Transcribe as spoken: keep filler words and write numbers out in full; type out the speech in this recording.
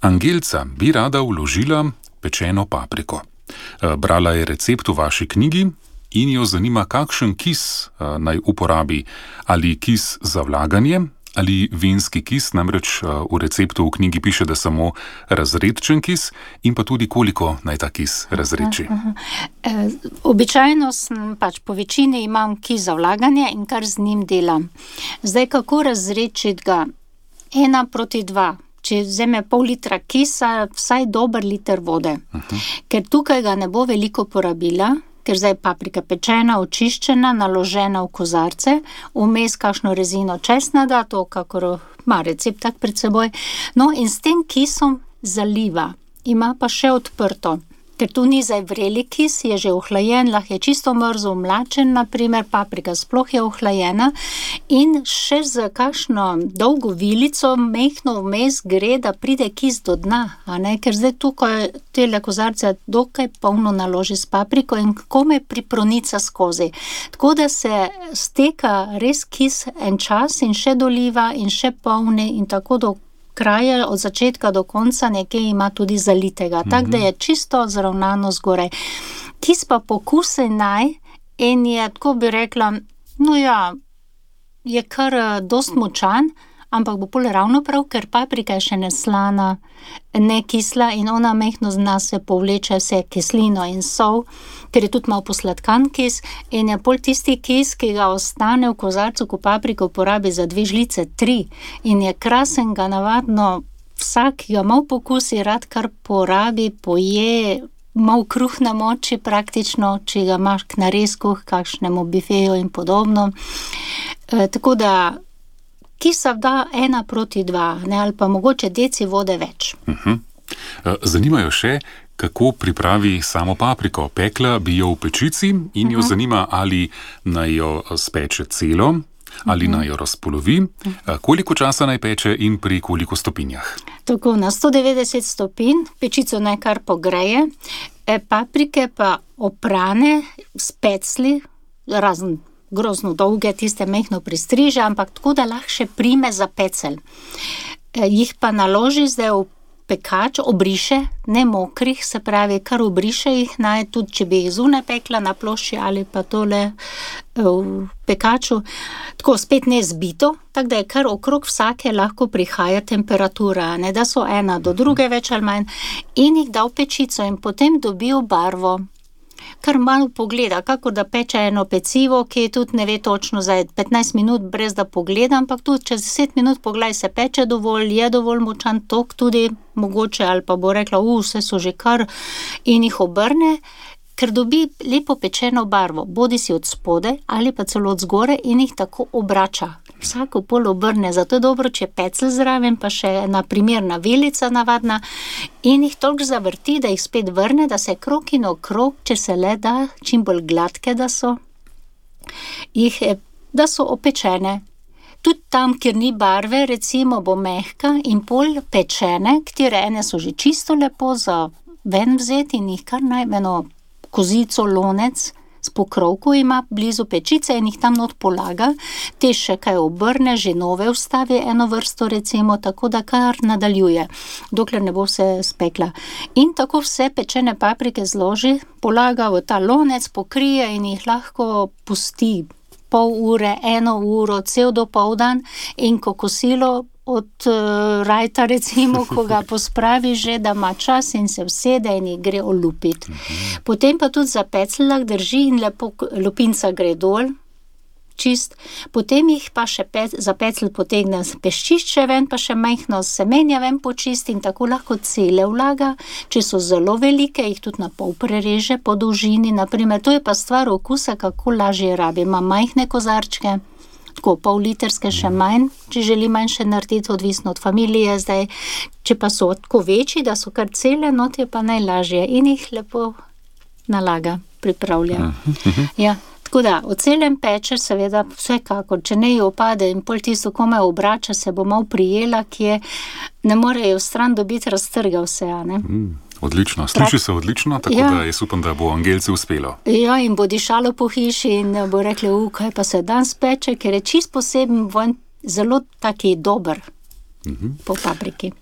Angelca bi rada vložila pečeno papriko. Brala je recept v vaši knjigi in jo zanima, kakšen kis naj uporabi. Ali kis za vlaganje ali vinski kis, namreč v receptu v knjigi piše, da samo razredčen kis, in pa tudi koliko naj ta kis razredči. Aha, aha. E, običajno sem, pač po večini imam kis za vlaganje in kar z njim delam. Zdaj, kako razredčiti ga? Ena proti dva. Če vzame pol litra kisa, vsaj dober liter vode. Uh-huh. Ker tukaj ga ne bo veliko porabila, ker zdaj paprika pečena, očiščena, naložena v kozarce, vmes kakšno rezino česna da, to kakor ima recept tak pred seboj. No, in s tem kisom zaliva. Ima pa še odprto. Ker tu ni zdaj vreli kis, je že ohlajen, lahko je čisto mrzo, mlačen, naprimer, paprika sploh je ohlajena, in še z kakšno dolgo vilico mehno vmes gre, da pride kis do dna, a ne? Ker zdaj tukaj tele kozarce dokaj polno naloži s papriko in komaj pripronica skozi. Tako da se steka res kis en čas in še doliva in še polni in tako do kraje, od začetka do konca nekaj ima tudi zalitega, mm-hmm. Tako da je čisto zravnano zgoraj. Kis pa pokusi naj in je, tako bi rekla, no ja, je kar dost močan, ampak bo pol ravno prav, ker paprika je še neslana, ne kisla in ona mehno z nas se povleče vse kislino in sol, ker je tudi malo posladkan kis in je pol tisti kis, ki ga ostane v kozarcu, ko papriko porabi za dve žlice, tri, in je krasen, ga navadno vsak, ki ga malo pokusi, rad kar porabi, poje, malo kruh namoči praktično, če ga imaš k narezku, kakšnemu bifeju in podobno. E, tako da kisa da ena proti dva, ne, ali pa mogoče deci vode več. Uh-huh. Zanimajo še, kako pripravi samo papriko. Pekla bi jo v pečici in jo uh-huh. zanima, ali naj jo speče celo, ali uh-huh. naj jo razpolovi, koliko časa naj peče in pri koliko stopinjah. Tako, na sto devetdeset stopinj, pečico naj kar pogreje, e, paprike pa oprane s pecli, razen grozno dolge, tiste mehno pristriže, ampak tako, da lahko še prime za pecelj. E, jih pa naloži zdaj v pekač, obriše, ne mokrih, se pravi, kar obriše jih naj, tudi če bi jih zunaj pekla na plošči ali pa tole v pekaču, tako spet ne zbito, tako da je kar okrog vsake lahko prihaja temperatura, ne, da so ena do druge več ali manj, in jih da v pečico in potem dobijo barvo. Kar malo pogleda, kako da peče eno pecivo, ki tudi ne ve točno za petnajst minut brez da pogleda, ampak tudi čez deset minut pogledaj, se peče dovolj, je dovolj močan tok tudi mogoče, ali pa bo rekla, u, vse so že kar, in jih obrne, ker dobi lepo pečeno barvo, bodi si od spode ali pa celo od zgore, in jih tako obrača. Vsako pol obrne, zato je dobro, če pecel zraven, pa še na primerna vilica navadna, in jih toliko zavrti, da jih spet vrne, da se krog in okrog, če se le da, čim bolj gladke, da so, jih, da so opečene. Tudi tam, kjer ni barve, recimo bo mehka in pol pečene, katere ene so že čisto lepo za ven vzeti in jih kar najmeno kozico, lonec, s pokrovko ima blizu pečice in jih tam not polaga, te še kaj obrne, že nove vstavi eno vrsto recimo, tako da kar nadaljuje, dokler ne bo vse spekla. In tako vse pečene paprike zloži, polaga v ta lonec, pokrije in jih lahko pusti pol ure, eno uro, cel dopoldan, in ko kosilo od uh, rajta recimo, ko ga pospravi že, da ima čas in se vsede in jih gre olupiti. Uh-huh. Potem pa tudi za pecl lahko drži in lepo lupinca gre dol, čist. Potem jih pa še pe- za pecl potegne peščišče ven, pa še majhno semenja ven počisti in tako lahko cele vlaga. Če so zelo velike, jih tudi na pol prereže po dolžini, naprimer. To je pa stvar okusa, kako lažje rabi. Ima majhne kozarčke, tako pol literske še manj, če želi manjše narediti, odvisno od familije zdaj. Če pa so tako večji, da so kar cele, not je pa najlažje in jih lepo nalaga, pripravlja. Ja. Tako da, o celem peče seveda vsekakor, če ne jo opade in pol tisto komaj obrača, se bo malo prijela, ki je, ne morejo stran dobiti, raztrga vse, a ne? Mm, odlično, sliši se odlično, tako ja. Da jaz upam, da bo Angelci uspelo. Ja, in bo dišalo po hiši in bo rekli, u, kaj pa se danes peče, ker je čist poseben vonj, zelo taki dober mm-hmm. po papriki.